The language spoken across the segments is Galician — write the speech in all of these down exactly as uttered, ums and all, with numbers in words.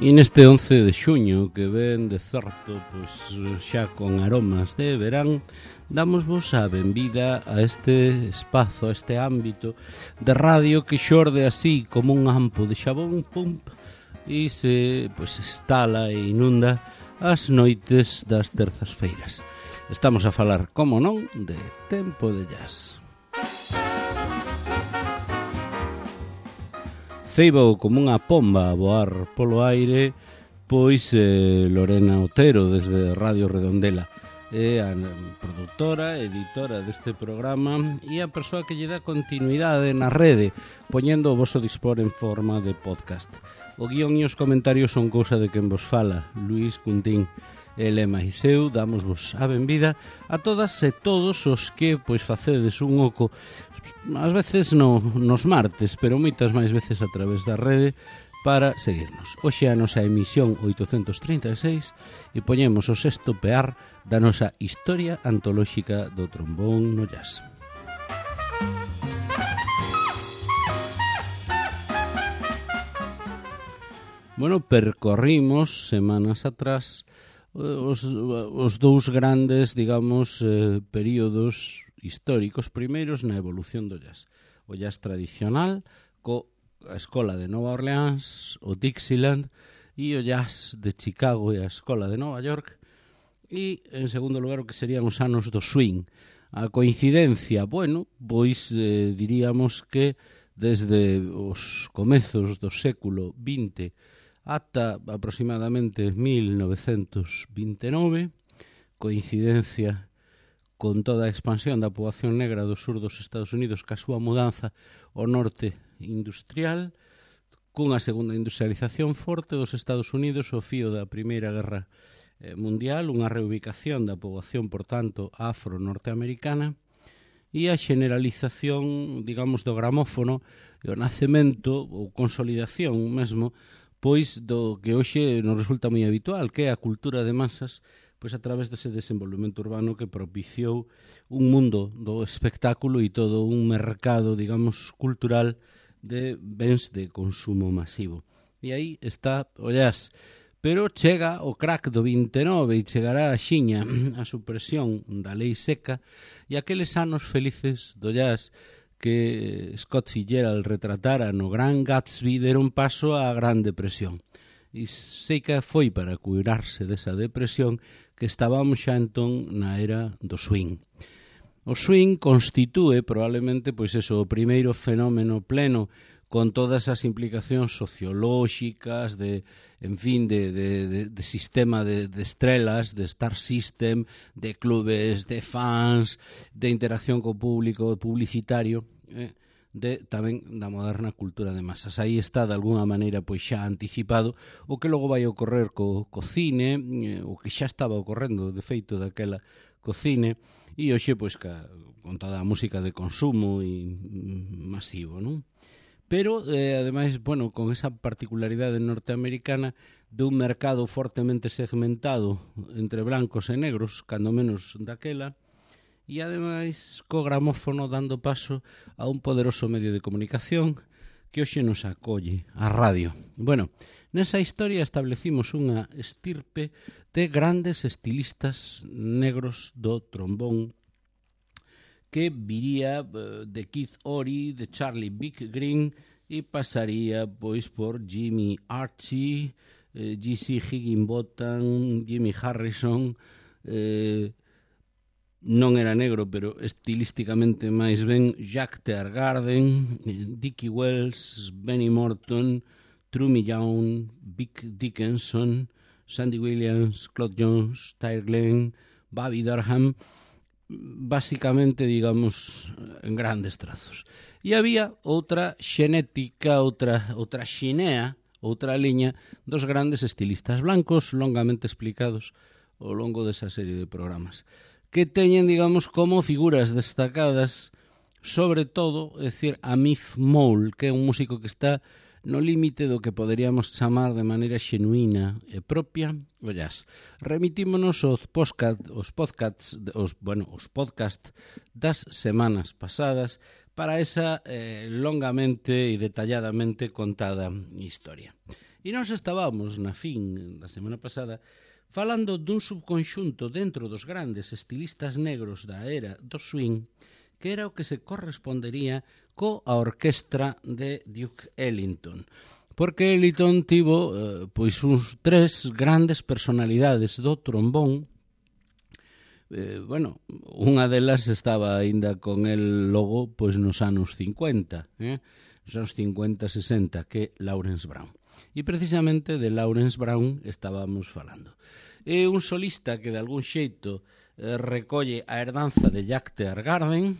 E neste once de xuño, que ven de certo, pois xa con aromas de verán, damosvos a benvida a este espazo, a este ámbito de radio que xorde así como un ampo de xabón, pum, e se pois estala e inunda as noites das terzas feiras. Estamos a falar, como non, de Tempo de Jazz. Ceibou como unha pomba a voar polo aire, pois eh, Lorena Otero, desde Radio Redondela. É a produtora, editora deste programa e a persoa que lle dá continuidade na rede, poñendo o voso dispor en forma de podcast. O guión e os comentarios son cousa de quen vos fala, Luís Cuntín. Ele máis eu, damosvos a benvida a todas e todos os que pois facedes un oco ás veces no, nos martes, pero moitas máis veces a través da rede para seguirnos. Hoxe a nosa emisión oitocentos trinta e seis e poñemos o sexto pear da nosa historia antolóxica do trombón no jazz. Bueno, percorrimos semanas atrás os, os dous grandes, digamos, eh, períodos históricos primeiros na evolución do jazz. O jazz tradicional, co a Escola de Nova Orleans, o Dixieland, e o jazz de Chicago e a Escola de Nova York, e, en segundo lugar, o que serían os anos do swing. A coincidencia, bueno, pois eh, diríamos que desde os comezos do século vinte ata aproximadamente mil novecentos vinte e nove, coincidencia con toda a expansión da poboación negra do sur dos Estados Unidos ca súa mudanza ao norte industrial, cunha segunda industrialización forte dos Estados Unidos ao fío da Primeira Guerra Mundial, unha reubicación da poboación, por tanto, afro-norteamericana, e a generalización, digamos, do gramófono e o nacemento ou consolidación mesmo pois do que hoxe nos resulta moi habitual, que é a cultura de masas, pois a través dese desenvolvemento urbano que propiciou un mundo do espectáculo e todo un mercado, digamos, cultural de bens de consumo masivo. E aí está o jazz. Pero chega o crack do vinte e nove e chegará a xiña a supresión da lei seca e aqueles anos felices do jazz que Scott Fitzgerald retratara no Gran Gatsby deron paso á Gran Depresión. E sei que foi para curarse desa depresión que estábamos xa entón na era do swing. O swing constitúe probablemente pois eso, o primeiro fenómeno pleno con todas as implicacións sociolóxicas, de, en fin, de, de, de, de sistema de, de estrelas, de star system, de clubes, de fans, de interacción co público publicitario, eh, de tamén da moderna cultura de masas. Aí está, de alguna maneira, pois xa anticipado o que logo vai ocorrer co, co cine, eh, o que xa estaba ocorrendo, de feito, daquela co cine, e hoxe, pois, ca, con toda a música de consumo e mm, masivo, non? Pero, eh, ademais, bueno, con esa particularidade norteamericana de un mercado fortemente segmentado entre blancos e negros, cando menos daquela, e ademais co gramófono dando paso a un poderoso medio de comunicación que hoxe nos acolle, a radio. Bueno, nesa historia establecimos unha estirpe de grandes estilistas negros do trombón que viría de Keith Ory, de Charlie Big Green e pasaría pois por Jimmy Archie, eh, G C Higginbotham, Jimmy Harrison, eh, non era negro, pero estilísticamente máis ben Jack Teargarden, eh, Dickie Wells, Benny Morton, Trummy Young, Vic Dickinson, Sandy Williams, Claude Jones, Tyre Glenn, Bobby Durham, basicamente, digamos, en grandes trazos. E había outra xenética, outra, outra xinea, outra liña dos grandes estilistas blancos, longamente explicados ao longo desa serie de programas, que teñen, digamos, como figuras destacadas, sobre todo, é dicir, a Miff Mole, que é un músico que está no límite do que poderíamos chamar de maneira xenuína e propia o jazz. Remitímonos aos podcast, os podcasts, os, bueno, os podcast das semanas pasadas para esa eh, longamente e detalladamente contada historia. E nós estábamos na fin da semana pasada falando dun subconxunto dentro dos grandes estilistas negros da era do swing, que era o que se correspondería coa orquestra de Duke Ellington. Porque Ellington tivo eh, pois uns tres grandes personalidades do trombón. Eh, bueno, unha delas estaba aínda con el logo pois nos anos cincuenta, eh? nos anos cincuenta, sesenta, que é Lawrence Brown. E precisamente de Lawrence Brown estábamos falando. É un solista que de algún xeito eh, recolle a herdanza de Jack Teargarden,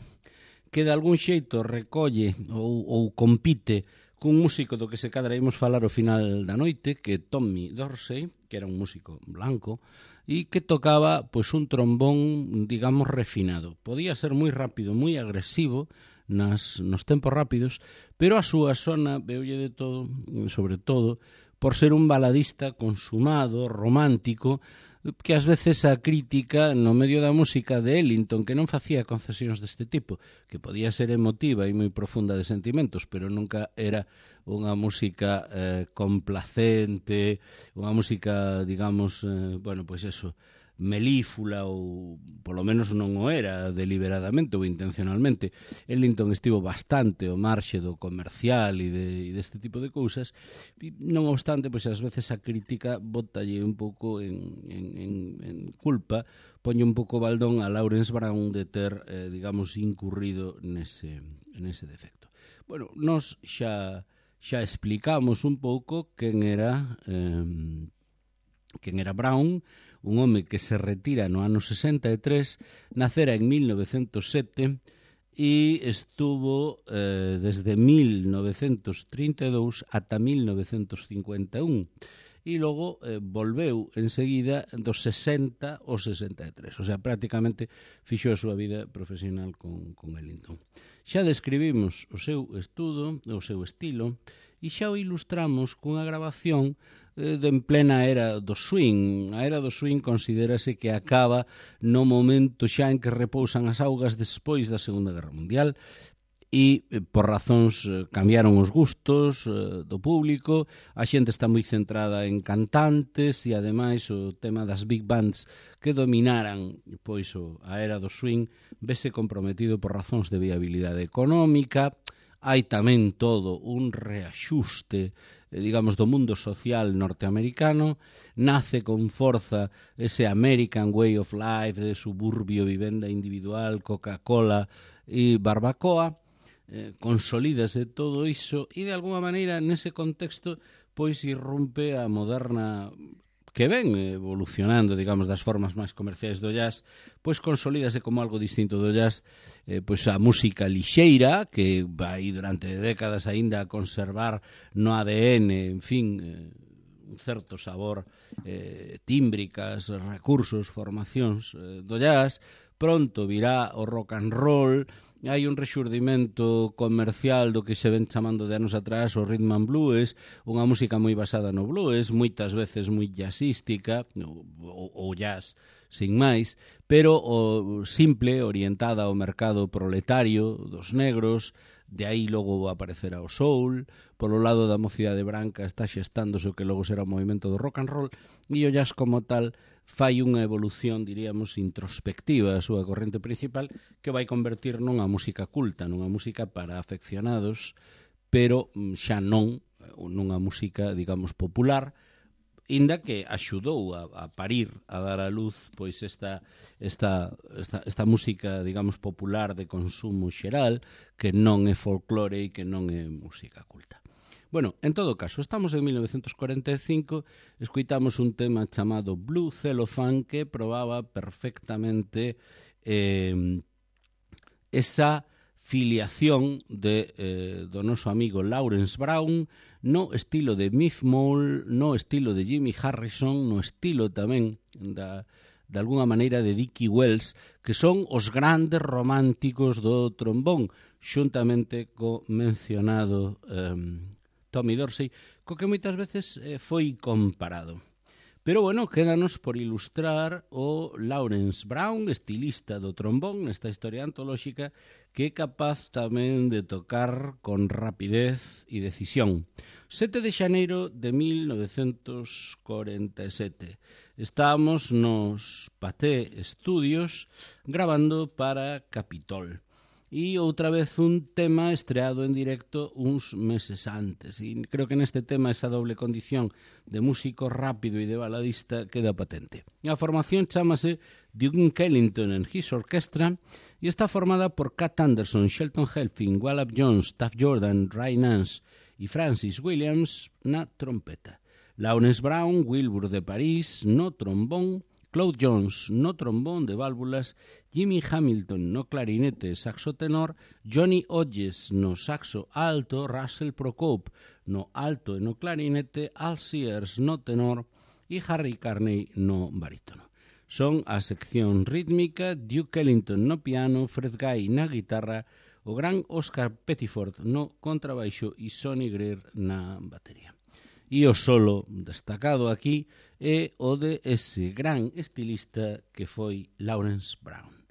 que de algún xeito recolle ou, ou compite cun músico do que se cadra imos falar ao final da noite, que é Tommy Dorsey, que era un músico blanco, e que tocaba pois un trombón, digamos, refinado. Podía ser moi rápido, moi agresivo, nas, nos tempos rápidos, pero a súa sona veulle de todo, sobre todo, por ser un baladista consumado, romántico, que ás veces a crítica no medio da música de Ellington, que non facía concesións deste tipo, que podía ser emotiva e moi profunda de sentimentos, pero nunca era unha música eh, complacente, unha música, digamos, eh, bueno, pois eso, melífula, ou polo menos non o era deliberadamente ou intencionalmente. Ellington estivo bastante ao marxe do comercial e, de, e deste tipo de cousas, e non obstante, pois ás veces a crítica botalle un pouco en, en, en, en culpa, poñe un pouco baldón a Lawrence Brown de ter, eh, digamos, incurrido nese, nese defecto. Bueno, nos xa, xa explicamos un pouco quen era eh, quen era Brown, un home que se retira no ano sesenta e tres, nacera en mil novecentos sete e estuvo eh, desde mil novecentos trinta e dous ata mil novecentos cincuenta e un e logo eh, volveu enseguida dos sesenta ao sesenta e tres, o sea, prácticamente fixo a súa vida profesional con, con Ellington. Xa describimos o seu estudo, o seu estilo, e xa o ilustramos cunha grabación eh, de en plena era do swing. A era do swing considérase que acaba no momento xa en que repousan as augas despois da Segunda Guerra Mundial, e por razóns cambiaron os gustos eh, do público, a xente está moi centrada en cantantes e ademais o tema das big bands que dominaran pois o, a era do swing vese comprometido por razóns de viabilidade económica. Hai tamén todo un reaxuste, eh, digamos, do mundo social norteamericano. Nace con forza ese American way of life de suburbio, vivenda individual, Coca-Cola e barbacoa. Eh, consolídase todo iso e de alguma maneira nese contexto pois irrumpe a moderna, que ven evolucionando, digamos, das formas máis comerciais do jazz, pois consolídase como algo distinto do jazz, eh, pois a música lixeira, que vai durante décadas aínda a conservar no A D N, en fin, eh, un certo sabor, eh, tímbricas, recursos, formacións eh, do jazz. Pronto virá o rock and roll. Hai un rexurdimento comercial do que se ven chamando de anos atrás o rhythm and blues, unha música moi basada no blues, moitas veces moi jazzística, ou jazz sin máis, pero o simple, orientada ao mercado proletario dos negros. De aí logo aparecerá o soul. Polo lado da mocidade branca está xestándose o que logo será o movimento do rock and roll, e o jazz como tal fai unha evolución, diríamos, introspectiva a súa corrente principal, que vai convertir nunha música culta, nunha música para afeccionados, pero xa non nunha música, digamos, popular, inda que axudou a, a parir, a dar a luz pois esta, esta, esta, esta música, digamos, popular de consumo xeral, que non é folclore e que non é música culta. Bueno, en todo caso, estamos en mil novecentos cuarenta e cinco, escoitamos un tema chamado Blue Cellophane que probaba perfectamente eh, esa filiación de, eh, do noso amigo Lawrence Brown no estilo de Miff Mole, no estilo de Jimmy Harrison, no estilo tamén da, de alguna maneira de Dickie Wells, que son os grandes románticos do trombón, xuntamente co mencionado eh, Tommy Dorsey, co que moitas veces eh, foi comparado. Pero, bueno, quédanos por ilustrar o Lawrence Brown, estilista do trombón, nesta historia antolóxica, que é capaz tamén de tocar con rapidez e decisión. sete de xaneiro de mil novecentos corenta e sete. Estábamos nos Pathé Studios gravando para Capitol. E outra vez un tema estreado en directo uns meses antes. E creo que neste tema esa doble condición de músico rápido e de baladista queda patente. A formación chamase Duke Ellington and His Orchestra e está formada por Cat Anderson, Shelton Helfing, Wallop Jones, Taff Jordan, Ray Nance e Francis Williams na trompeta. Lawrence Brown, Wilbur de París no trombón, Claude Jones no trombón de válvulas, Jimmy Hamilton no clarinete e saxo tenor, Johnny Hodges no saxo alto, Russell Procope no alto e no clarinete, Al Sears no tenor e Harry Carney no barítono. Son a sección rítmica, Duke Ellington no piano, Fred Guy na guitarra, o gran Oscar Pettiford no contrabaixo e Sonny Greer na batería. E o solo destacado aquí é o de ese gran estilista que foi Lawrence Brown.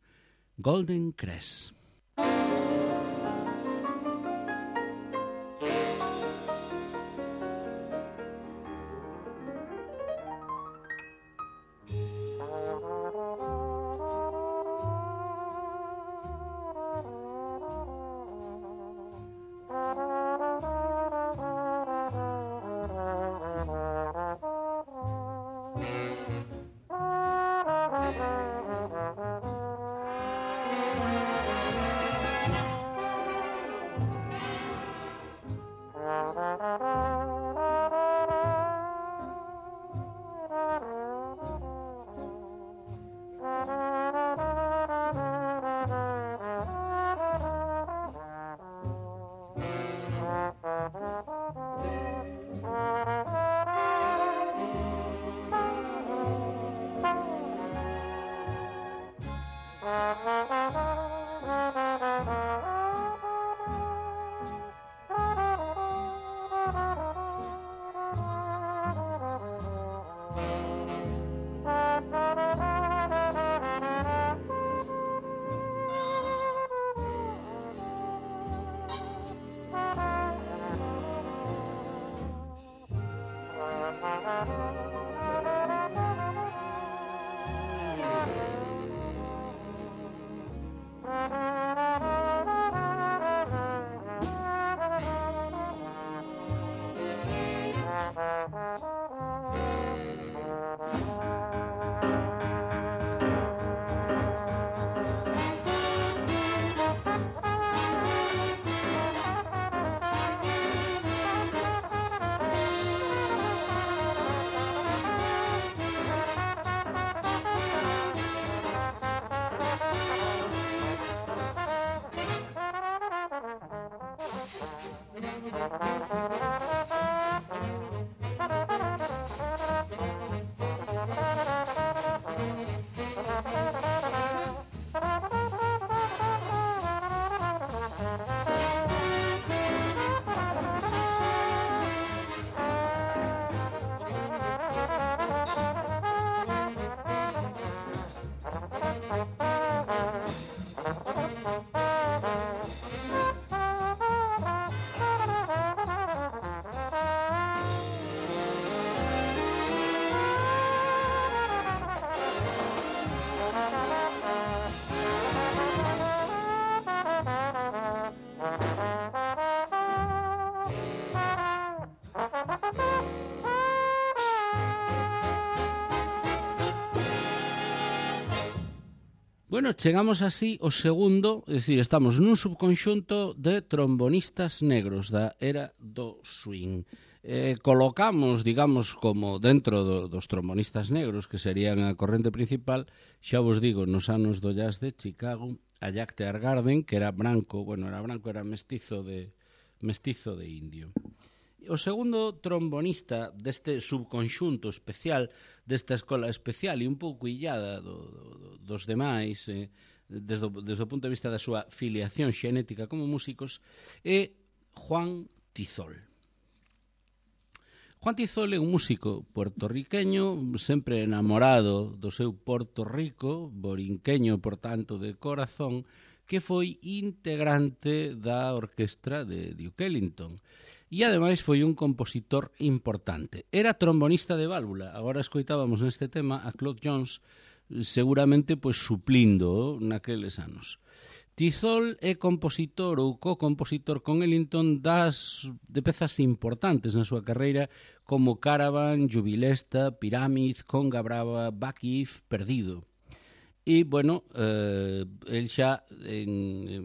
Golden Crest. Bueno, chegamos así ao segundo, é dicir, estamos nun subconxunto de trombonistas negros da era do swing. Eh, colocamos, digamos, como dentro do, dos trombonistas negros, que serían a corrente principal, xa vos digo, nos anos do jazz de Chicago, a Jack Teargarden, que era branco, bueno, era branco, era mestizo de, mestizo de indio. O segundo trombonista deste subconxunto especial, desta escola especial e un pouco illada do, do, dos demais, eh, desde, desde o punto de vista da súa filiación xenética como músicos, é Juan Tizol. Juan Tizol é un músico puertorriqueño, sempre enamorado do seu Porto Rico, borinqueño, por tanto, de corazón, que foi integrante da orquestra de Duke Ellington. E, ademais, foi un compositor importante. Era trombonista de válvula. Agora escoitábamos neste tema a Claude Jones, seguramente pois suplindo naqueles anos. Tizol é compositor ou co-compositor con Ellington das de pezas importantes na súa carreira como Caravan, Jubilesta, Pirámid, Conga Brava, Back If, Perdido. E, bueno, eh, el xa en, en,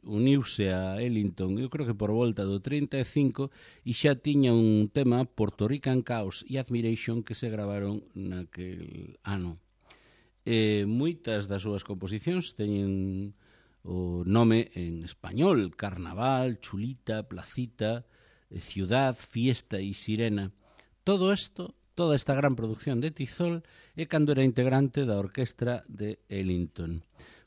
uniuse a Ellington, eu creo que por volta do trinta e cinco, e xa tiña un tema, Puerto Rican Chaos e Admiration, que se gravaron naquel ano. E moitas das súas composicións teñen o nome en español: Carnaval, Chulita, Placita, Ciudad, Fiesta e Sirena. Todo isto, toda esta gran producción de Tizol é cando era integrante da orquestra de Ellington.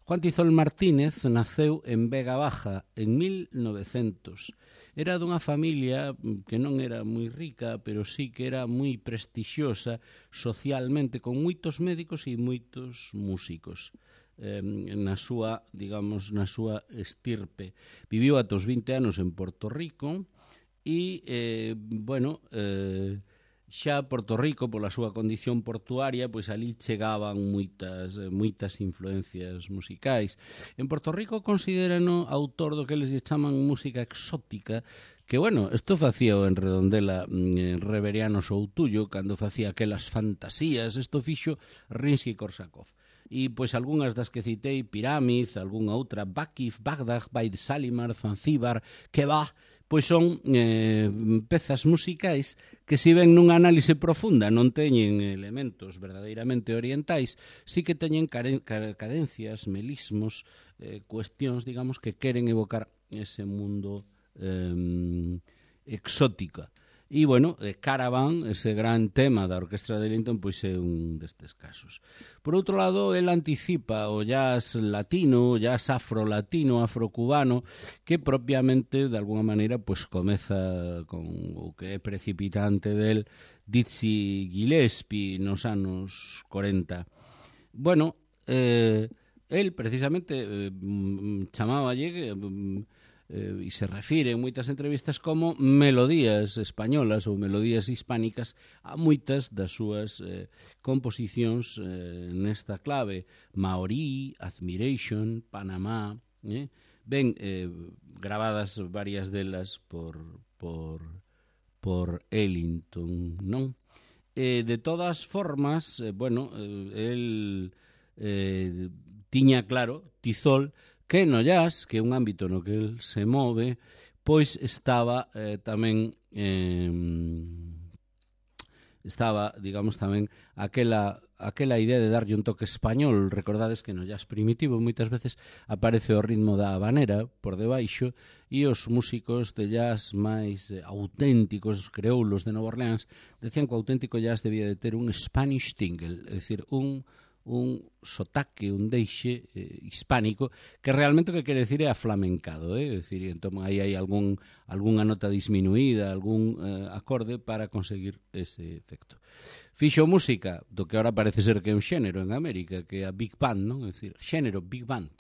Juan Tizol Martínez naceu en Vega Baja en mil novecientos. Era dunha familia que non era moi rica, pero sí que era moi prestixiosa socialmente, con moitos médicos e moitos músicos. Eh, na súa, digamos, na súa estirpe. Viviu ata os vinte anos en Porto Rico e, eh, bueno, eh, xa Porto Rico, pola súa condición portuaria, pois ali chegaban moitas, moitas influencias musicais. En Porto Rico considerano autor do que eles chaman música exótica, que, bueno, isto facía o en Redondela eh, Reveriano Soutullo, cando facía aquelas fantasías, isto fixo Rimsky-Korsakov. E, pois, algunhas das que citei, Pirámid, algunha outra, Bakif, Bagdad, Baid Salimar, Zanzíbar, que va, pois son eh, pezas musicais que, se ven nunha análise profunda, non teñen elementos verdadeiramente orientais, sí que teñen cadencias, melismos, eh, cuestións, digamos, que queren evocar ese mundo eh, exótica. E, bueno, Caravan, ese gran tema da orquestra de Ellington, pois é un destes casos. Por outro lado, el anticipa o jazz latino, o jazz afro-latino, afro-cubano, que propiamente, de alguna maneira, pois comeza con o que é precipitante del Dizzy Gillespie nos anos corenta. Bueno, eh, el precisamente eh, chamáballe... Eh, e se refire en moitas entrevistas como melodías españolas ou melodías hispánicas a moitas das súas eh, composicións eh, nesta clave: Maorí, Admiration, Panamá, eh? ben eh, gravadas varias delas por, por, por Ellington, non? Eh, de todas formas, eh, bueno, eh, el eh, tiña claro, Tizol, que no jazz, que é un ámbito no que el se move, pois estaba eh, tamén eh, estaba, digamos, tamén aquela, aquela idea de darlle un toque español. Recordades que no jazz primitivo moitas veces aparece o ritmo da habanera por debaixo, e os músicos de jazz máis eh, auténticos, creoulos de Nova Orleans, decían que o auténtico jazz debía de ter un Spanish tingle, é dicir, un un sotaque, un deixe eh, hispánico, que realmente o que quere decir é aflamencado, eh? É dicir, entón aí hai algún, algunha nota disminuída, algún eh, acorde para conseguir ese efecto. Fixo música do que ahora parece ser que é un xénero en América, que é a Big Band, non? É dicir, xénero, Big Band.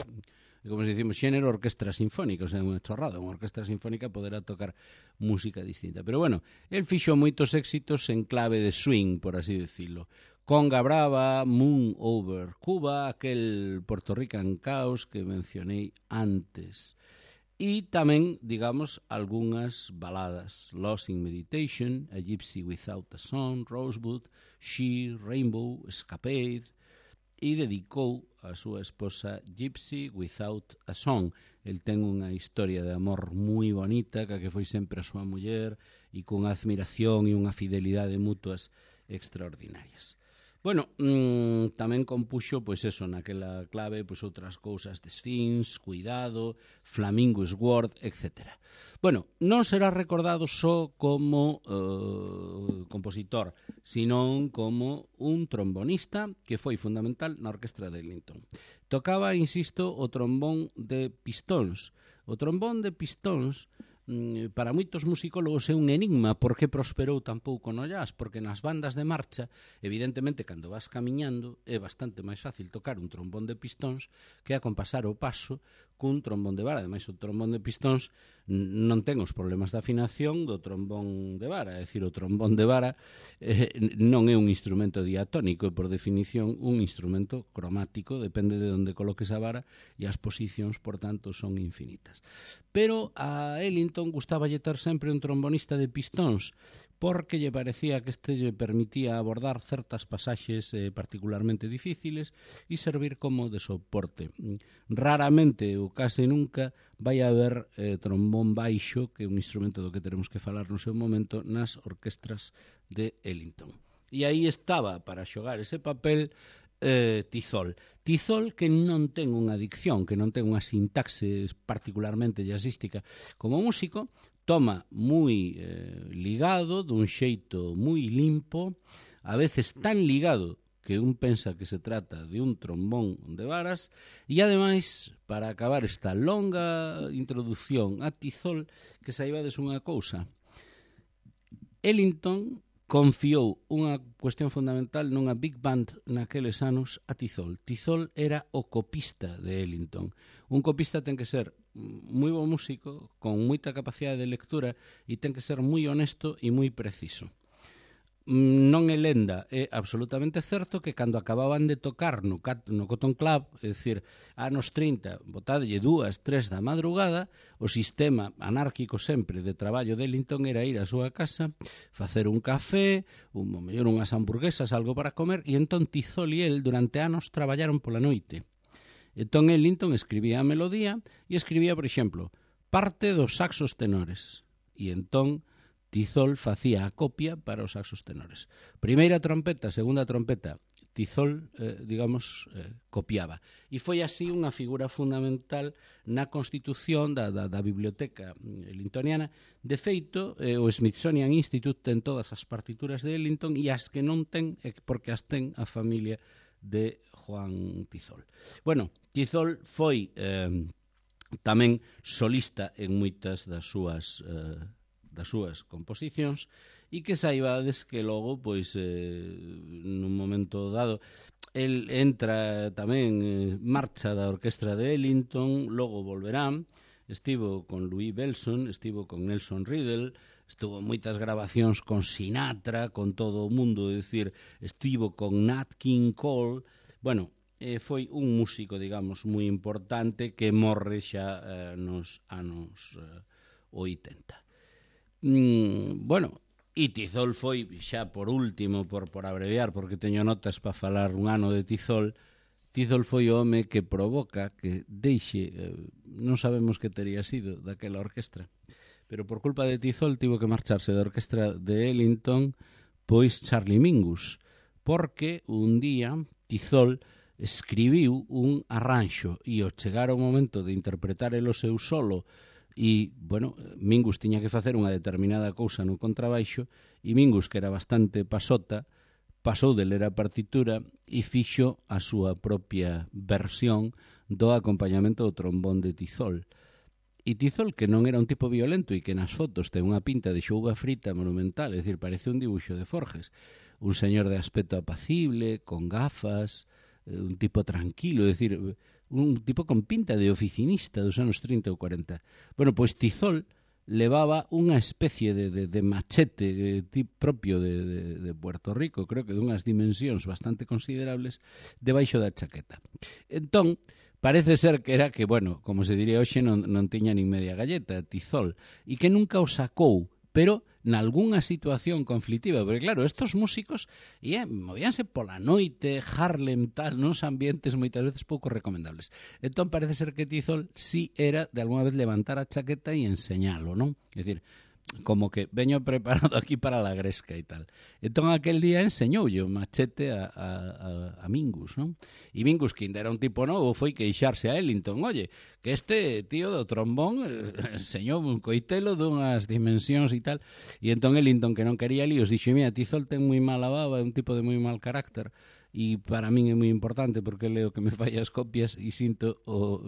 E como se dicimos, xénero, orquestra sinfónica, o sea, unha chorrada, unha orquestra sinfónica poderá tocar música distinta. Pero bueno, el fixo moitos éxitos en clave de swing, por así decirlo. Conga Brava, Moon Over Cuba, aquel Puerto Rican Chaos que mencionei antes. E tamén, digamos, algunhas baladas: Lost in Meditation, A Gypsy Without a Song, Rosebud, She, Rainbow, Escapade, e dedicou a súa esposa Gypsy Without a Song. El ten unha historia de amor moi bonita, que foi sempre a súa muller, e con admiración e unha fidelidade mutuas extraordinarias. Bueno, mmm, tamén compuxo, pois eso, naquela clave, pois outras cousas de Sphinx, Cuidado, Flamingo Sword, etcétera. Bueno, non será recordado só como uh, compositor, senón como un trombonista que foi fundamental na orquestra de Ellington. Tocaba, insisto, o trombón de pistóns. O trombón de pistóns para moitos musicólogos é un enigma por que prosperou tan pouco no jazz, porque nas bandas de marcha, evidentemente, cando vas camiñando, é bastante máis fácil tocar un trombón de pistóns que acompasar o paso cun trombón de vara. Ademais, o trombón de pistóns non ten os problemas de afinación do trombón de vara, é dicir, o trombón de vara eh, non é un instrumento diatónico, é por definición un instrumento cromático, depende de onde coloques a vara, e as posicións, por tanto, son infinitas. Pero a Ellington gustaballe ter sempre un trombonista de pistóns, porque lle parecía que este lle permitía abordar certas pasaxes eh, particularmente difíciles e servir como de soporte. Raramente, ou case nunca, vai haber eh, trombón baixo, que é un instrumento do que teremos que falar no seu momento, nas orquestras de Ellington. E aí estaba, para xogar ese papel, eh, Tizol. Tizol que non ten unha dicción, que non ten unha sintaxe particularmente jazzística como músico, toma moi eh, ligado, dun xeito moi limpo, a veces tan ligado que un pensa que se trata de un trombón de varas, e ademais, para acabar esta longa introducción a Tizol, que saibades unha cousa. Ellington confiou unha cuestión fundamental nunha big band naqueles anos a Tizol. Tizol era o copista de Ellington. Un copista ten que ser moi bo músico, con moita capacidade de lectura, e ten que ser moi honesto e moi preciso. Non é lenda, é absolutamente certo que cando acababan de tocar no, no Cotton Club, é dicir, anos trinta, botadelle dúas, tres da madrugada, o sistema anárquico sempre de traballo de Ellington era ir á súa casa, facer un café, un, mellor unhas hamburguesas, algo para comer, e entón Tizol e el durante anos traballaron pola noite. Entón Ellington escribía a melodía e escribía, por exemplo, parte dos saxos tenores, e entón Tizol facía a copia para os saxos tenores. Primeira trompeta, segunda trompeta, Tizol, eh, digamos, eh, copiaba. E foi así unha figura fundamental na constitución da, da, da biblioteca ellingtoniana. De feito, eh, o Smithsonian Institute ten todas as partituras de Ellington e as que non ten, é porque as ten a familia de Juan Tizol. Bueno, Tizol foi eh, tamén solista en moitas das súas eh, das súas composicións, e que saibades que logo, pois, eh, nun momento dado, el entra tamén eh, marcha da orquestra de Ellington, logo volverá, estivo con Louis Bellson, estivo con Nelson Riddle, estuvo moitas grabacións con Sinatra, con todo o mundo, é dicir, estivo con Nat King Cole, bueno, eh, foi un músico, digamos, moi importante que morre xa eh, nos anos eh, oitenta. Mm, bueno, e Tizol foi, xa por último, por, por abreviar, porque teño notas para falar un ano de Tizol, Tizol foi o home que provoca que deixe, eh, non sabemos que teria sido daquela orquestra, pero por culpa de Tizol tivo que marcharse da orquestra de Ellington, pois Charlie Mingus, porque un día Tizol escribiu un arranxo e ao chegar o momento de interpretar el o seu solo, e, bueno, Mingus tiña que facer unha determinada cousa no contrabaixo, e Mingus, que era bastante pasota, pasou de ler a partitura e fixo a súa propia versión do acompañamento do trombón de Tizol. E Tizol, que non era un tipo violento e que nas fotos ten unha pinta de xouga frita monumental, é dicir, parece un dibuixo de Forges, un señor de aspecto apacible, con gafas, un tipo tranquilo, é dicir, un tipo con pinta de oficinista dos anos trinta ou cuarenta. Bueno, pois Tizol levaba unha especie de, de, de machete eh, propio de, de, de Puerto Rico, creo que dunhas dimensións bastante considerables, debaixo da chaqueta. Entón, parece ser que era que, bueno, como se diría hoxe, non, non tiña nin media galleta, Tizol, e que nunca o sacou, pero nalgúnha situación conflictiva, porque claro, estos músicos yeah, movíanse pola noite, Harlem, tal, nos ambientes moitas veces pouco recomendables. Entón parece ser que Tizol sí era de alguna vez levantar a chaqueta e enseñalo, non? É dicir, como que veño preparado aquí para la gresca e tal. Entón aquel día enseñoulle o machete a, a, a, a Mingus, non? E Mingus, que ainda era un tipo novo, foi queixarse a Ellington, oye, que este tío do trombón eh, enseñou un coitelo dunhas dimensións e tal, e entón Ellington, que non quería líos, dixo, mira, Tizol ten moi mala baba, é un tipo de moi mal carácter, e para min é moi importante porque leo que me fai as copias e sinto o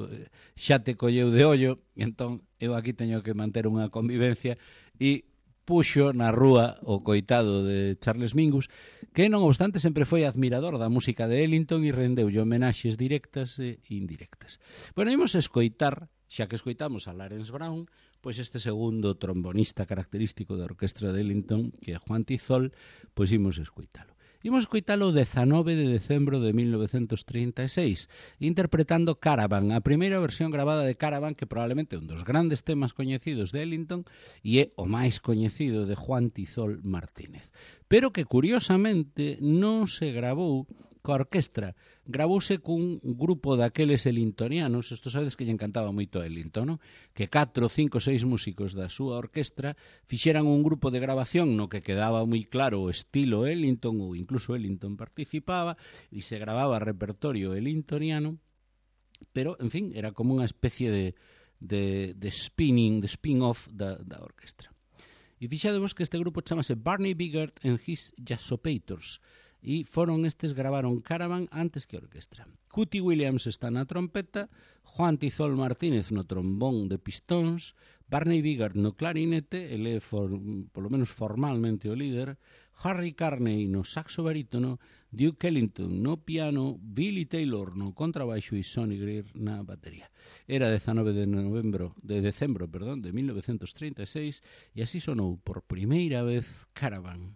xa te colleu de ollo, entón eu aquí teño que manter unha convivencia e puxo na rúa o coitado de Charles Mingus, que non obstante sempre foi admirador da música de Ellington e rendeulle homenaxes directas e indirectas. Bueno, imos escoitar, xa que escoitamos a Lawrence Brown, pois este segundo trombonista característico da orquestra de Ellington, que é Juan Tizol, pois imos escoitalo. Imos escoitalo o dezanove de decembro de mil novecentos trinta e seis, interpretando Caravan, a primeira versión gravada de Caravan, que probablemente é un dos grandes temas coñecidos de Ellington e é o máis coñecido de Juan Tizol Martínez. Pero que, curiosamente, non se gravou coa orquestra, gravouse cun grupo daqueles ellingtonianos, isto sabedes que lle encantaba moito a Ellington, non? Que catro, cinco, seis músicos da súa orquestra fixeran un grupo de grabación no que quedaba moi claro o estilo Ellington, ou incluso Ellington participaba, e se gravaba repertorio ellingtoniano, pero, en fin, era como unha especie de, de, de spinning, de spin-off da, da orquestra. E fixadevos que este grupo chamase Barney Biggert and His Jazzopators, e foron estes gravaron Caravan antes que a orquestra. Cootie Williams está na trompeta, Juan Tizol Martínez no trombón de pistóns, Barney Biggert no clarinete, ele é for, polo menos formalmente o líder, Harry Carney no saxo barítono, Duke Ellington no piano, Billy Taylor no contrabaixo e Sonny Greer na batería. Era dezanove de novembro, de decembro, perdón, de mil novecentos trinta e seis e así sonou por primeira vez Caravan.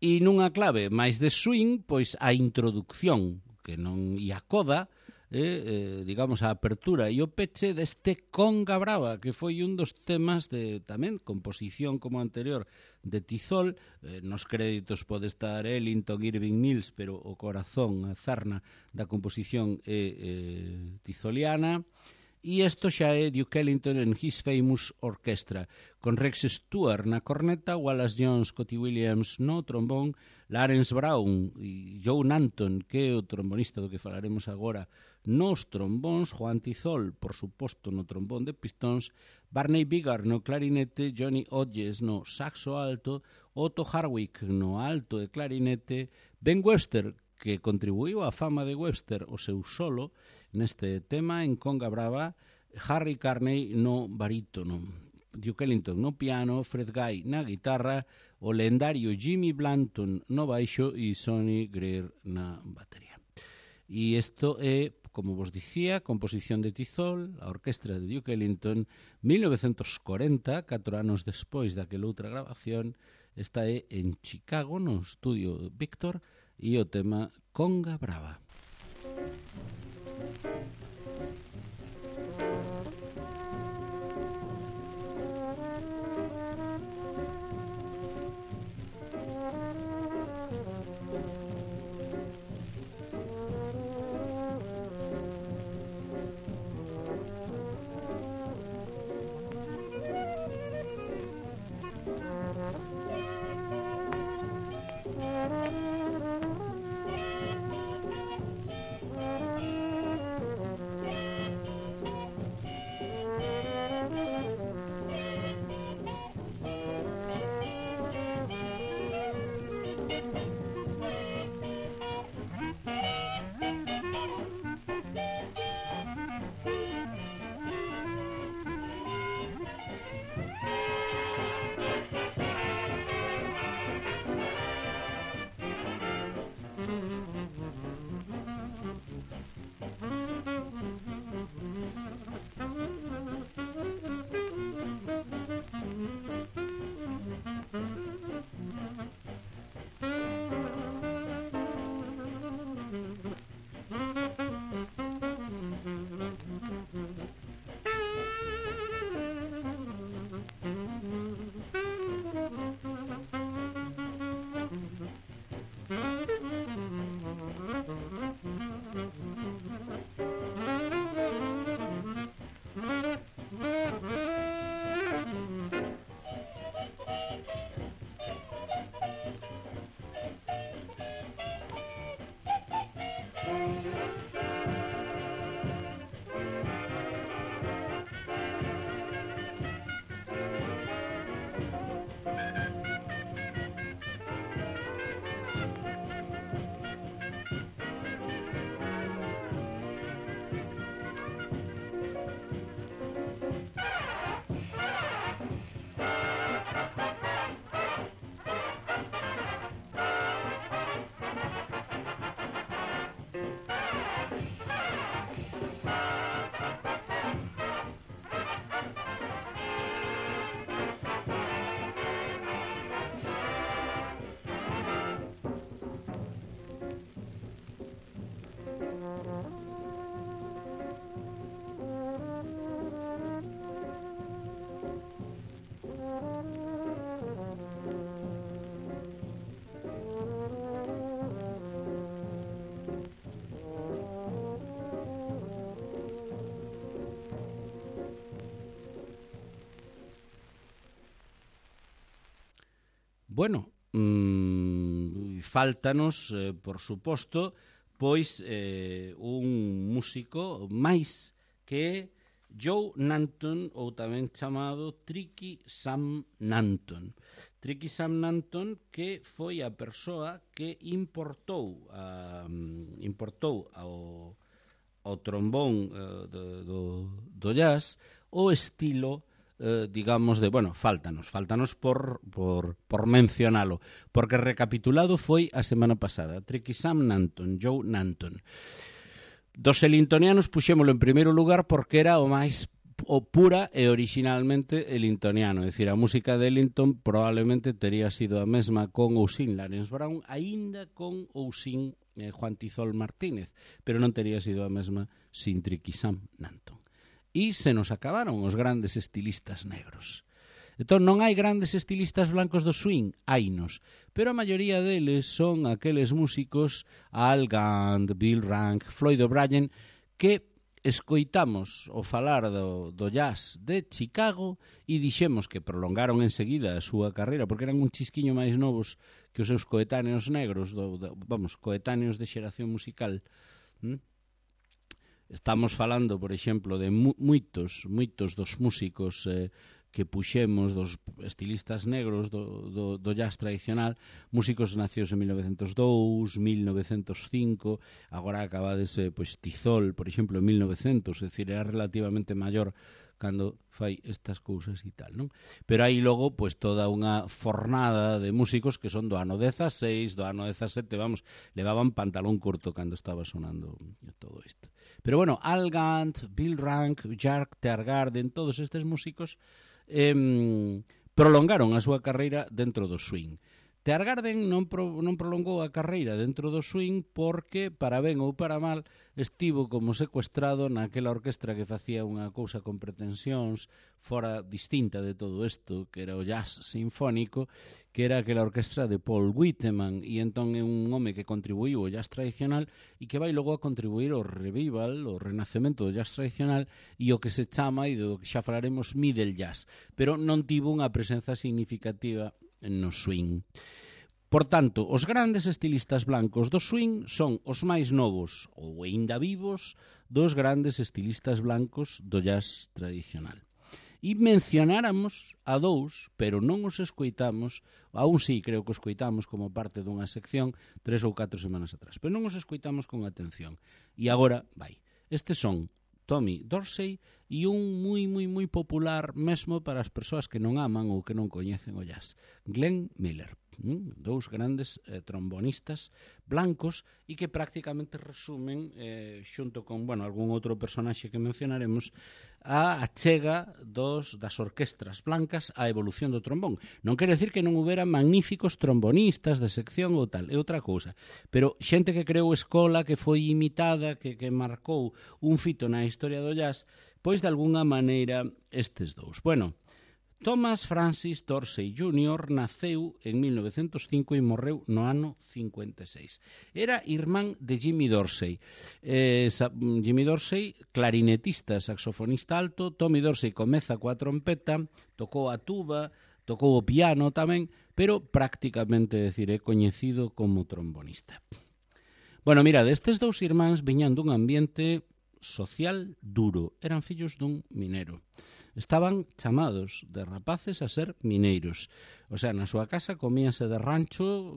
E nunha clave máis de swing, pois a introducción, que non e a coda, eh, eh, digamos, a apertura e o peche deste Conga Brava, que foi un dos temas de tamén composición como anterior de Tizol. Eh, nos créditos pode estar Ellington, Irving Mills, pero o corazón, a zarna da composición é eh, tizoliana. E isto xa é Duke Ellington en His Famous Orchestra, con Rex Stewart na corneta, Wallace Jones, Scotty Williams no trombón, Lawrence Brown e Joe Nanton, que é o trombonista do que falaremos agora, nos trombóns, Juan Tizol, por suposto, no trombón de pistóns, Barney Biggar no clarinete, Johnny Hodges no saxo alto, Otto Harwick no alto de clarinete, Ben Webster, que contribuiu á fama de Webster o seu solo neste tema en Conga Brava, Harry Carney no barítono, Duke Ellington no piano, Fred Guy na guitarra, o lendario Jimmy Blanton no baixo e Sonny Greer na batería. E isto é, como vos dicía, composición de Tizol, a orquestra de Duke Ellington, mil novecentos cuarenta, catro anos despois daquela outra grabación. Esta é en Chicago, no estudio Victor, e o tema Conga Brava. Bueno, mmm, fáltanos, eh, por suposto, pois eh, un músico máis que é Joe Nanton, ou tamén chamado Tricky Sam Nanton. Tricky Sam Nanton, que foi a persoa que importou a, importou ao, ao trombón uh, do, do, do jazz o estilo, eh, digamos, de, bueno, fáltanos, fáltanos por, por, por mencionalo, porque recapitulado foi a semana pasada. Tricky Sam Nanton, Joe Nanton. Dos elintonianos puxémolo en primeiro lugar porque era o máis o pura e originalmente elintoniano, é dicir, a música de Ellington probablemente tería sido a mesma con ou sin Lawrence Brown, aínda con ou sin eh, Juan Tizol Martínez, pero non tería sido a mesma sin Tricky Sam Nanton. E se nos acabaron os grandes estilistas negros. Entón, non hai grandes estilistas blancos do swing, hainos, pero a maioría deles son aqueles músicos Al Gant, Bill Rank, Floyd O'Brien, que escoitamos o falar do, do jazz de Chicago e dixemos que prolongaron enseguida a súa carreira porque eran un chisquiño máis novos que os seus coetáneos negros, do, do, vamos, coetáneos de xeración musical. ¿Mm? Estamos falando, por exemplo, de mu moitos, moitos dos músicos eh, que puxemos, dos estilistas negros do, do, do jazz tradicional, músicos nacidos en mil novecentos dous, mil novecentos cinco, agora acabades, eh, pois, Tizol, por exemplo, en mil novecientos, é dicir, era relativamente maior cando fai estas cousas e tal, non? Pero aí logo, pois, toda unha fornada de músicos que son do ano dezaseis, do ano dezasete, vamos, levaban pantalón curto cando estaba sonando todo isto. Pero bueno, Al Gant, Bill Rank, Jack Teargarden, todos estes músicos eh, prolongaron a súa carreira dentro do swing. Teargarden non, pro, non prolongou a carreira dentro do swing porque, para ben ou para mal, estivo como secuestrado naquela orquestra que facía unha cousa con pretensións fora distinta de todo isto, que era o jazz sinfónico, que era aquela orquestra de Paul Whiteman, e entón é un home que contribuiu ao jazz tradicional e que vai logo a contribuir ao revival, ao renacemento do jazz tradicional e o que se chama, e do que xa falaremos, middle jazz, pero non tivo unha presenza significativa no swing. Por tanto, os grandes estilistas blancos do swing son os máis novos ou aínda vivos dos grandes estilistas blancos do jazz tradicional. E mencionáramos a dous, pero non os escoitamos, aún sí creo que os escoitamos como parte dunha sección tres ou catro semanas atrás, pero non os escoitamos con atención. E agora, vai, estes son Tommy Dorsey e un moi, moi, moi popular mesmo para as persoas que non aman ou que non coñecen o jazz, Glenn Miller. Mm, dous grandes eh, trombonistas blancos e que prácticamente resumen eh, xunto con, bueno, algún outro personaxe que mencionaremos a achega dos, das orquestras blancas á evolución do trombón. Non quere decir que non houbera magníficos trombonistas de sección ou tal, é outra cousa, pero xente que creou escola, que foi imitada, que, que marcou un fito na historia do jazz, pois de algunha maneira estes dous. Bueno, Thomas Francis Dorsey júnior naceu en mil novecentos cinco e morreu no ano cincuenta e seis. Era irmán de Jimmy Dorsey. Eh, Jimmy Dorsey, clarinetista, saxofonista alto. Tommy Dorsey comeza coa trompeta, tocou a tuba, tocou o piano tamén, pero prácticamente, decir, é coñecido como trombonista. Bueno, mira, destes dous irmáns viñan dun ambiente social duro. Eran fillos dun minero. Estaban chamados de rapaces a ser mineiros. O sea, na súa casa comíase de rancho,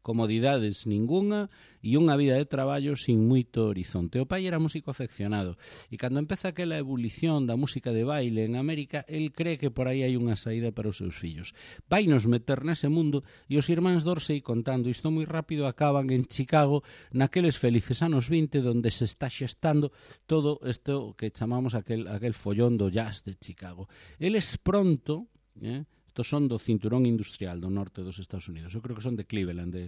comodidades ningunha e unha vida de traballo sin moito horizonte. O pai era músico afeccionado e cando empeza aquela ebulición da música de baile en América, el cree que por aí hai unha saída para os seus fillos. Vainos meter nese mundo e os irmáns Dorsey, contando isto moi rápido, acaban en Chicago naqueles felices anos vinte donde se está xestando todo isto que chamamos aquel, aquel follón do jazz de Chicago. Eles pronto, eh, estos son do cinturón industrial do norte dos Estados Unidos, eu creo que son de Cleveland, de,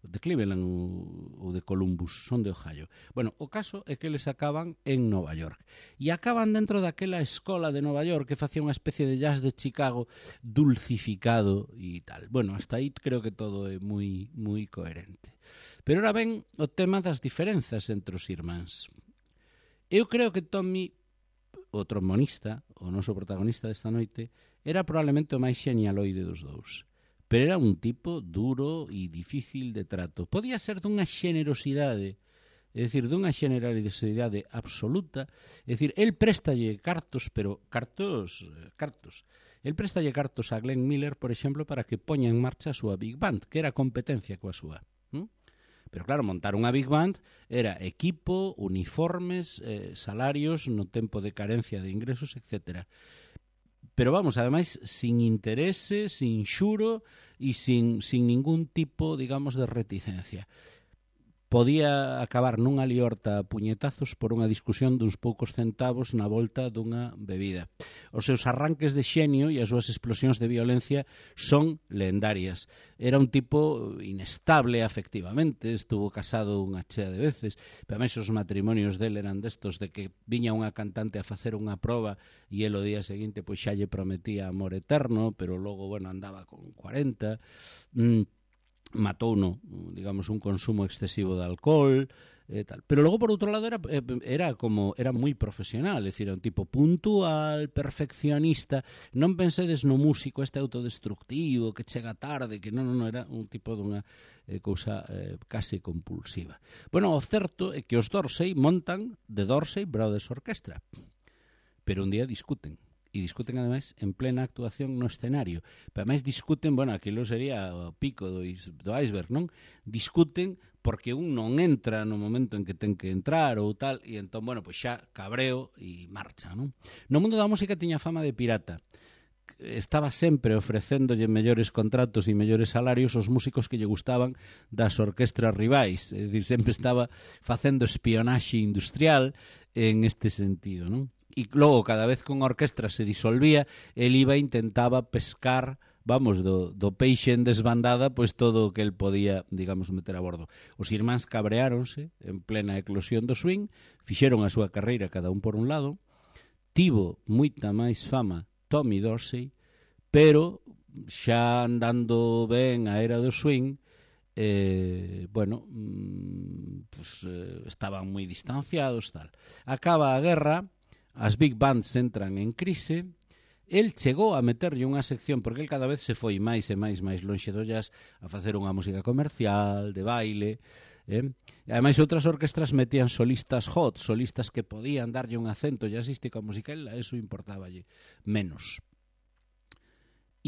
de Cleveland ou de Columbus, son de Ohio. Bueno, o caso é que eles acaban en Nova York e acaban dentro daquela escola de Nova York que facía unha especie de jazz de Chicago dulcificado e tal. Bueno, hasta aí creo que todo é moi, moi coherente. Pero ora ben o tema das diferenzas entre os irmáns. Eu creo que Tommy, o trombonista, o noso protagonista desta noite, era probablemente o máis xenialoide dos dous. Pero era un tipo duro e difícil de trato. Podía ser dunha xenerosidade, é dicir, dunha generalidade absoluta. É dicir, el préstalle cartos, pero cartos, cartos. El préstalle cartos a Glenn Miller, por exemplo, para que poña en marcha a súa Big Band, que era competencia coa súa. ¿Mm? Pero claro, montar unha Big Band era equipo, uniformes, eh, salarios no tempo de carencia de ingresos, etcétera. Pero vamos, ademais, sin interese, sin xuro e sin, sin ningún tipo, digamos, de reticencia. podía acabar nunha liorta a puñetazos por unha discusión duns poucos centavos na volta dunha bebida. Os seus arranques de xenio e as súas explosións de violencia son leendarias. Era un tipo inestable afectivamente, estuvo casado unha chea de veces, pero a os matrimonios del eran destos de que viña unha cantante a facer unha proba e el o día seguinte pois xa lle prometía amor eterno, pero logo, bueno, andaba con cuarenta, mm, matou no, digamos, un consumo excesivo de alcohol e tal. Pero logo, por outro lado, era, era como era moi profesional, é dicir, era un tipo puntual, perfeccionista. Non pensedes no músico este autodestructivo que chega tarde, que non, non, era un tipo dunha eh, cousa eh, case compulsiva. Bueno, o certo é que os Dorsey montan The Dorsey Brothers Orchestra, pero un día discuten. E discuten, ademais, en plena actuación no escenario. Pero, ademais, discuten, bueno, aquilo sería o pico do, do iceberg, non? Discuten porque un non entra no momento en que ten que entrar ou tal, e entón, bueno, pois xa cabreo e marcha, non? No mundo da música tiña fama de pirata. Estaba sempre ofrecéndolle mellores contratos e mellores salarios aos músicos que lle gustaban das orquestras rivais. É dicir, sempre estaba facendo espionaxe industrial en este sentido, non? E logo, cada vez que unha orquestra se disolvía, el iba e intentaba pescar, vamos, do, do peixe en desbandada, pois todo o que el podía, digamos, meter a bordo. Os irmáns cabreáronse en plena eclosión do swing, fixeron a súa carreira cada un por un lado, tivo moita máis fama Tommy Dorsey, pero xa andando ben a era do swing, eh, bueno, pues, eh, estaban moi distanciados, tal. Acaba a guerra, as big bands entran en crise, el chegou a meterlle unha sección, porque el cada vez se foi máis e máis máis lonxe do jazz, a facer unha música comercial, de baile, eh? E ademais outras orquestras metían solistas hot, solistas que podían darlle un acento jazzístico a música, a eso importáballe menos.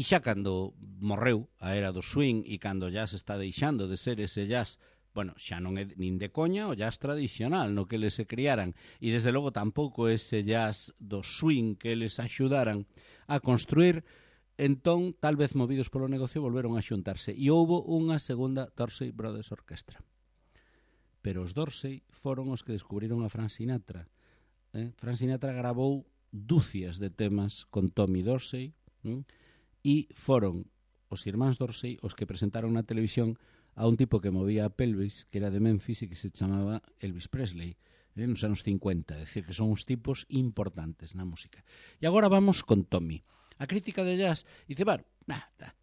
E xa cando morreu a era do swing e cando o jazz está deixando de ser ese jazz, bueno, xa non é nin de coña o jazz tradicional no que eles se criaran, e desde logo tampouco ese jazz do swing que eles axudaran a construir, entón, tal vez movidos polo negocio, volveron a xuntarse e houbo unha segunda Dorsey Brothers Orchestra. Pero os Dorsey foron os que descubriron a Frank Sinatra. Eh? Frank Sinatra grabou dúcias de temas con Tommy Dorsey, eh? E foron os irmáns Dorsey os que presentaron na televisión a un tipo que movía a pelvis, que era de Memphis e que se chamaba Elvis Presley, eh, nos anos cincuenta, é dicir, que son uns tipos importantes na música. E agora vamos con Tommy. A crítica de jazz dice, bueno, nah, nah.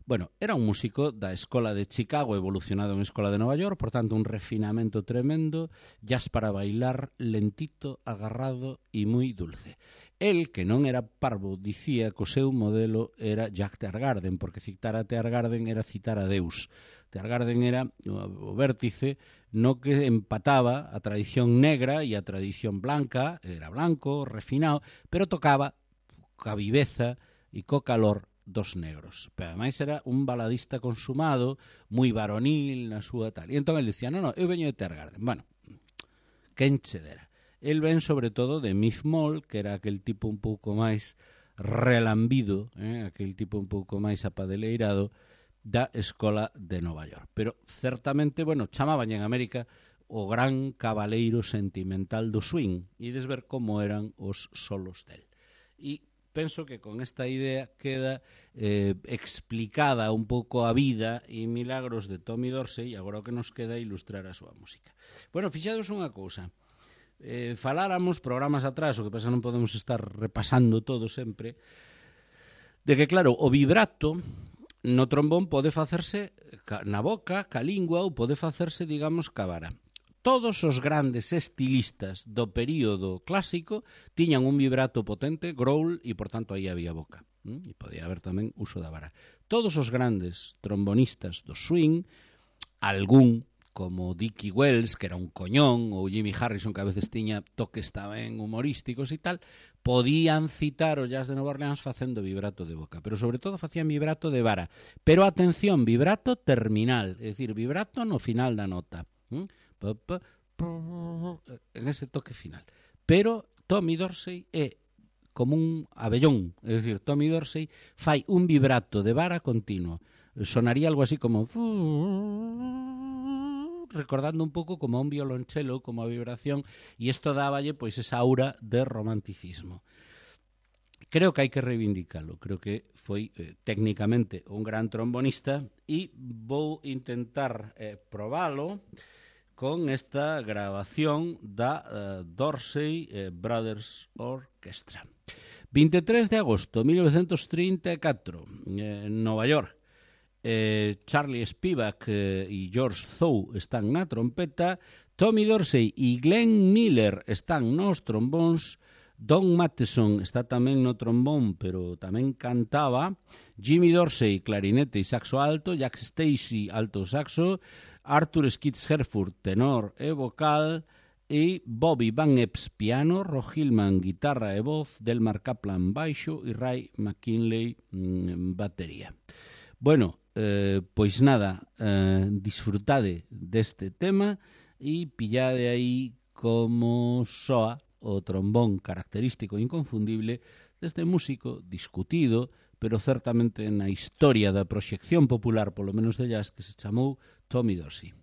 Bueno, era un músico da Escola de Chicago evolucionado en Escola de Nova York, por tanto, un refinamento tremendo, jazz para bailar lentito, agarrado e moi dulce. El, que non era parvo, dicía que o seu modelo era Jack Teargarden, porque citar a Teargarden era citar a Deus. Teargarden era o vértice no que empataba a tradición negra e a tradición blanca, era blanco, refinado, pero tocaba ca viveza e co calor dos negros. Pero ademais era un baladista consumado, moi varonil na súa tal. E entón el dicía, no, no, eu veño de Teargarden. Bueno, quen che dera. El ven sobre todo de Miff Moll, que era aquel tipo un pouco máis relambido, eh, aquel tipo un pouco máis apadeleirado da Escola de Nova York. Pero certamente, bueno, chamaban en América o gran cabaleiro sentimental do swing, e des ver como eran os solos del. E penso que con esta idea queda eh, explicada un pouco a vida e milagros de Tommy Dorsey, e agora o que nos queda é ilustrar a súa música. Bueno, fixados unha cousa, eh, faláramos programas atrás, o que pasa non podemos estar repasando todo sempre, de que claro, o vibrato no trombón pode facerse na boca, ca lingua, ou pode facerse, digamos, ca vara. Todos os grandes estilistas do período clásico tiñan un vibrato potente, growl, e, por tanto, aí había boca. E podía haber tamén uso da vara. Todos os grandes trombonistas do swing, algún, como Dickie Wells, que era un coñón, ou Jimmy Harrison, que a veces tiña toques tamén humorísticos e tal, podían citar o jazz de Nova Orleans facendo vibrato de boca, pero sobre todo facían vibrato de vara. Pero, atención, vibrato terminal, é dicir, vibrato no final da nota. ¿Mm? En ese toque final. Pero Tommy Dorsey é como un abellón, é dicir, Tommy Dorsey fai un vibrato de vara continuo. Sonaría algo así como recordando un pouco como a un violonchelo, como a vibración, e isto dáballe pois esa aura de romanticismo. Creo que hai que reivindicalo, creo que foi eh, técnicamente un gran trombonista e vou intentar eh, probalo con esta grabación da uh, Dorsey eh, Brothers Orchestra. veintitrés de agosto de mil novecientos trinta e catro, eh, en Nova York. Eh, Charlie Spivak eh, e George Zou están na trompeta, Tommy Dorsey e Glenn Miller están nos trombóns, Don Matheson está tamén no trombón, pero tamén cantaba, Jimmy Dorsey, clarinete e saxo alto, Jack Stacey, alto saxo, Arthur Skitz Herford, tenor e vocal, e Bobby Van Epps, piano, Rob Hillman, guitarra e voz, Delmar Kaplan, baixo e Ray McKinley, mmm, batería. Bueno, eh, pois nada, eh, disfrutade deste tema e pillade aí como soa o trombón característico e inconfundible deste músico discutido, pero certamente na historia da proxección popular, polo menos de jazz, que se chamou Tommy Dorsey.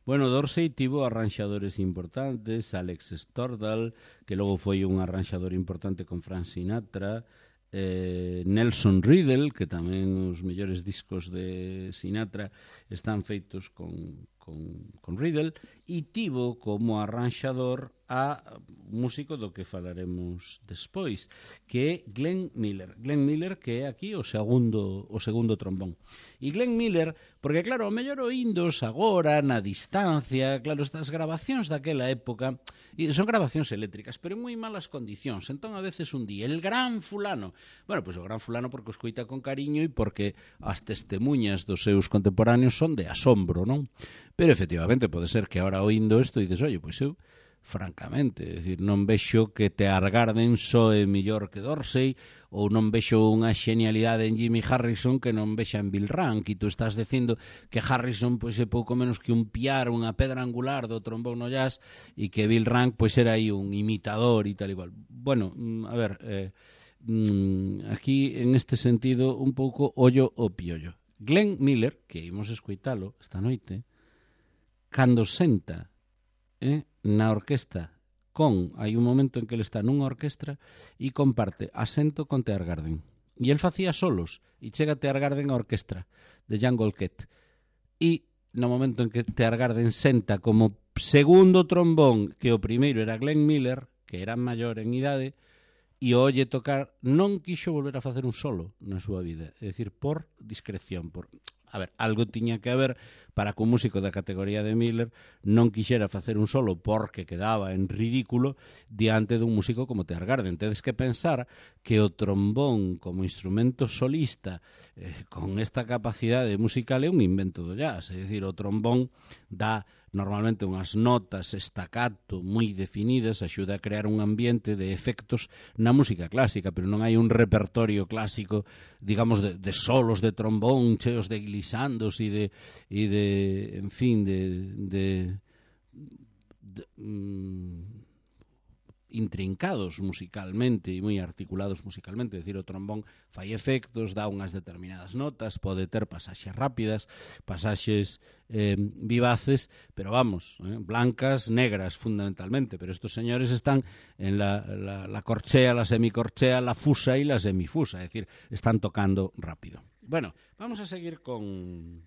Bueno, Dorsey tivo arranxadores importantes, Alex Stordal, que logo foi un arranxador importante con Frank Sinatra, eh, Nelson Riddle, que tamén os mellores discos de Sinatra están feitos con, con, con Riddle, e tivo como arranxador a músico do que falaremos despois, que é Glenn Miller. Glenn Miller, que é aquí o segundo o segundo trombón. E Glenn Miller, porque claro, o mellor oíndos agora, na distancia, claro, estas grabacións daquela época, e son grabacións eléctricas, pero en moi malas condicións. Entón, a veces un día, el gran fulano, bueno, pois pues o gran fulano porque o escoita con cariño e porque as testemunhas dos seus contemporáneos son de asombro, non? Pero efectivamente pode ser que ahora oíndo isto dices, oye, pois eu francamente, é dicir, non vexo que Te Argarden soe mellor que Dorsey, ou non vexo unha xenialidade en Jimmy Harrison que non vexa en Bill Rank, e tú estás dicindo que Harrison pois é pouco menos que un piar, unha pedra angular do trombón no jazz, e que Bill Rank pois era aí un imitador e tal igual. Bueno, a ver, eh, aquí en este sentido un pouco ollo o piollo. Glenn Miller, que imos escoitalo esta noite, cando senta eh, na orquesta con, hai un momento en que ele está nunha orquestra e comparte asento con Te Argarden, e el facía solos e chega Te Argarden a orquestra de Jan Golket, e no momento en que Te Argarden senta como segundo trombón, que o primeiro era Glenn Miller, que era maior en idade, e o olle tocar, non quixo volver a facer un solo na súa vida, é dicir, por discreción, por... A ver, algo tiña que haber para que un músico da categoría de Miller non quixera facer un solo porque quedaba en ridículo diante dun músico como Te Argarden. Tedes que pensar que o trombón como instrumento solista eh, con esta capacidade musical é un invento do jazz, é dicir, o trombón dá normalmente unhas notas staccato moi definidas, axuda a crear un ambiente de efectos na música clásica, pero non hai un repertorio clásico, digamos, de, de solos de trombón cheos de glissandos e de, e de en fin, de, de, de mm, intrincados musicalmente e moi articulados musicalmente, é dicir, o trombón fai efectos, dá unhas determinadas notas, pode ter pasaxes rápidas, pasaxes eh, vivaces, pero vamos, eh, blancas, negras fundamentalmente, pero estos señores están en la, la, la corchea, la semicorchea, la fusa e la semifusa, é dicir, están tocando rápido. Bueno, vamos a seguir con...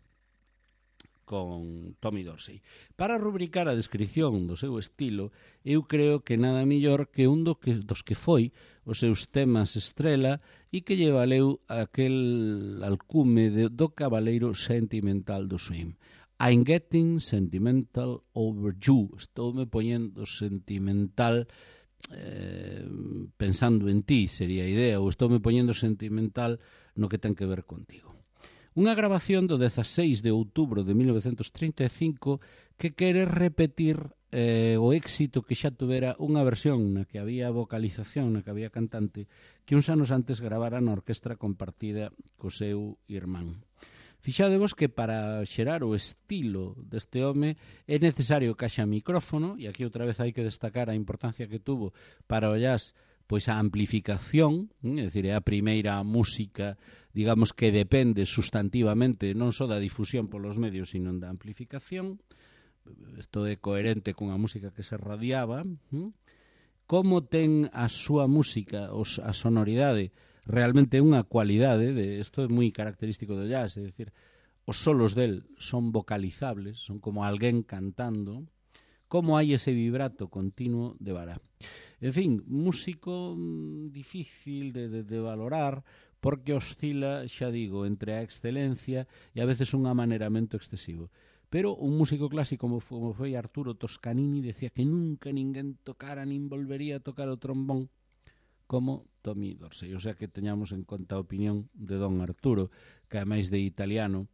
con Tommy Dorsey. Para rubricar a descripción do seu estilo, eu creo que nada mellor que un do que, dos que foi os seus temas estrela e que lle valeu aquel alcume de, do cabaleiro sentimental do swing. I'm getting sentimental over you. Estoume poñendo sentimental eh, pensando en ti, sería a idea, ou estoume poñendo sentimental no que ten que ver contigo. Unha grabación do dezaseis de outubro de mil novecentos trinta e cinco que quere repetir eh, o éxito que xa tuvera unha versión na que había vocalización, na que había cantante, que uns anos antes gravara na orquestra compartida co seu irmán. Fixadevos que para xerar o estilo deste home é necesario que haxa micrófono, e aquí outra vez hai que destacar a importancia que tuvo para o jazz pois a amplificación, é dicir, é a primeira música, digamos, que depende sustantivamente non só da difusión polos medios, sino da amplificación. Isto é coherente con a música que se radiaba. Como ten a súa música, os, a sonoridade, realmente unha cualidade, de, isto é moi característico do jazz, é dicir, os solos del son vocalizables, son como alguén cantando, como hai ese vibrato continuo de vara. En fin, músico difícil de, de, de valorar porque oscila, xa digo, entre a excelencia e a veces un amaneramento excesivo. Pero un músico clásico como foi Arturo Toscanini decía que nunca ninguén tocara nin volvería a tocar o trombón como Tommy Dorsey. O sea que teñamos en conta a opinión de don Arturo, que ademais de italiano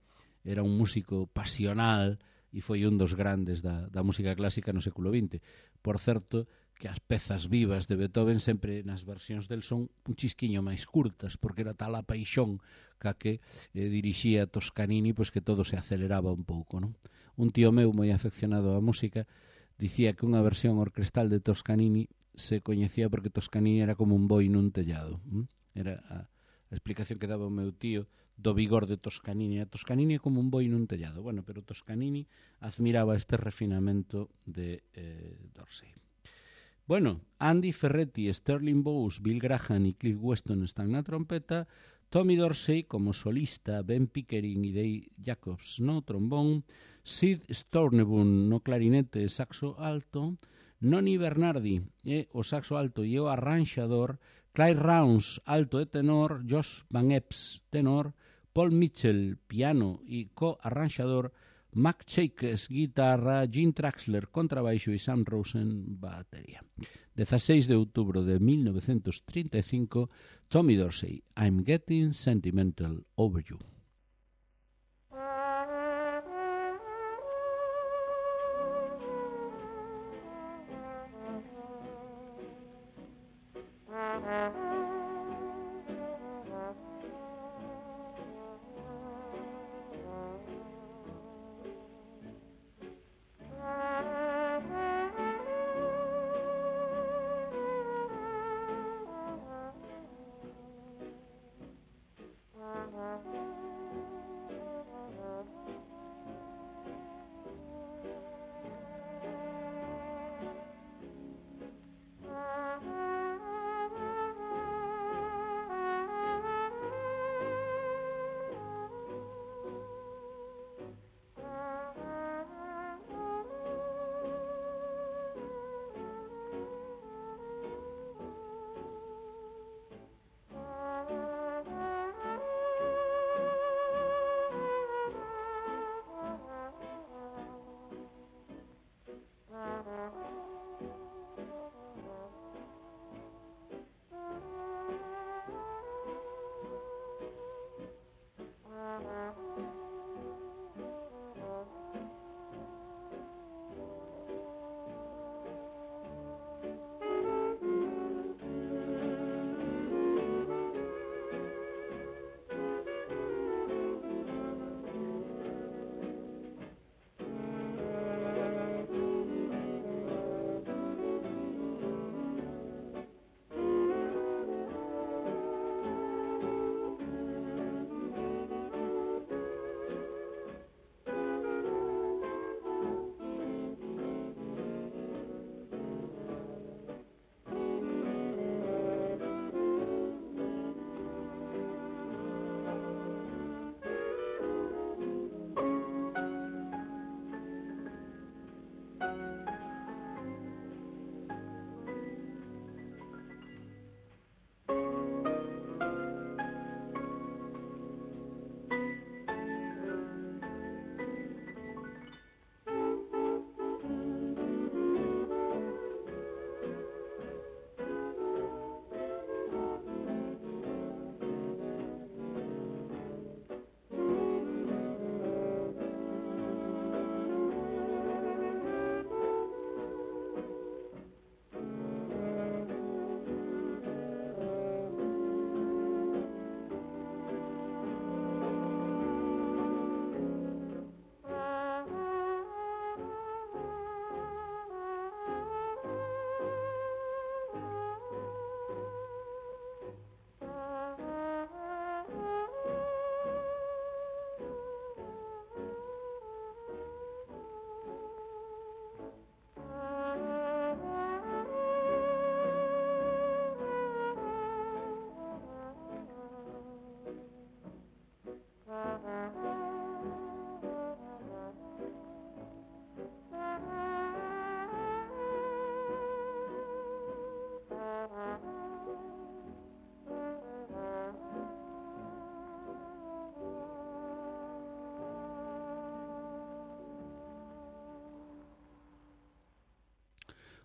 era un músico pasional e foi un dos grandes da, da música clásica no século vinte. Por certo, que as pezas vivas de Beethoven sempre nas versións del son un chisquiño máis curtas, porque era tal a paixón ca que eh, dirixía Toscanini, pois que todo se aceleraba un pouco, non? Un tío meu moi afeccionado á música dicía que unha versión orquestal de Toscanini se coñecía porque Toscanini era como un boi nun tellado. Era a, a a explicación que daba o meu tío do vigor de Toscanini. A Toscanini é como un boi nun tellado. Bueno, pero Toscanini admiraba este refinamento de eh, Dorsey. Bueno, Andy Ferretti, Sterling Bowes, Bill Graham e Cliff Weston están na trompeta, Tommy Dorsey como solista, Ben Pickering e Dave Jacobs no trombón, Sid Stornebune no clarinete e saxo alto, Noni Bernardi e o saxo alto e o arranxador, Clyde Rounds, alto e tenor, Josh Van Epps, tenor, Paul Mitchell, piano e co-arranxador, Mac Chakes, guitarra, Gene Traxler, contrabaixo e Sam Rosen, batería. dezasseis de outubro de mil novecentos trinta e cinco, Tommy Dorsey, I'm Getting Sentimental Over You.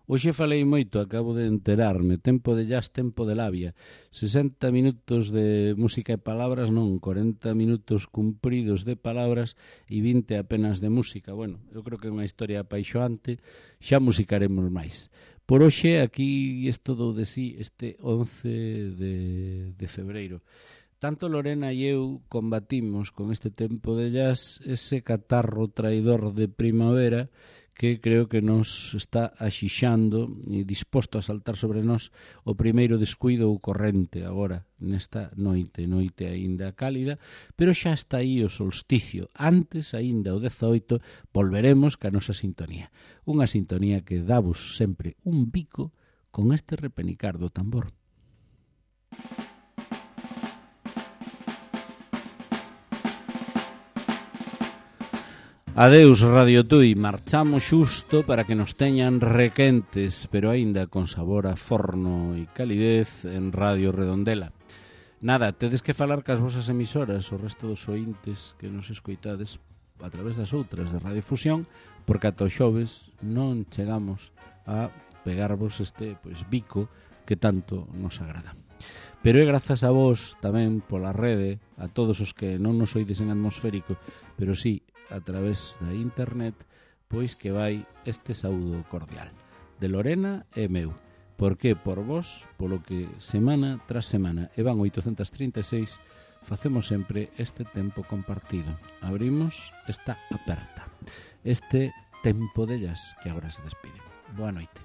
Hoxe falei moito, acabo de enterarme. Tempo de jazz, tempo de labia. sesenta minutos de música e palabras, non, corenta minutos cumpridos de palabras e vinte apenas de música. Bueno, eu creo que é unha historia apaixoante, xa musicaremos máis. Por hoxe, aquí isto dou de sí este once de, de febreiro. Tanto Lorena e eu combatimos con este tempo de jazz ese catarro traidor de primavera que creo que nos está axixando e disposto a saltar sobre nós o primeiro descuido ou corrente agora nesta noite, noite aínda cálida, pero xa está aí o solsticio. Antes, aínda o dezaoito, volveremos ca nosa sintonía. Unha sintonía que davos sempre un bico con este repenicar do tambor. Adeus Radio Tui, marchamos xusto para que nos teñan requentes, pero aínda con sabor a forno e calidez en Radio Redondela. Nada, tedes que falar cas vosas emisoras, o resto dos ointes que nos escoitades a través das outras de Radiofusión, porque ata o xoves non chegamos a pegarvos este pois, bico que tanto nos agrada. Pero é grazas a vos tamén pola rede, a todos os que non nos oides en atmosférico, pero sí a través da internet, pois que vai este saúdo cordial de Lorena e meu, porque por vos, polo que semana tras semana e van oitocentos trinta e seis, facemos sempre este tempo compartido. Abrimos esta aperta, este tempo de jazz que agora se despide. Boa noite.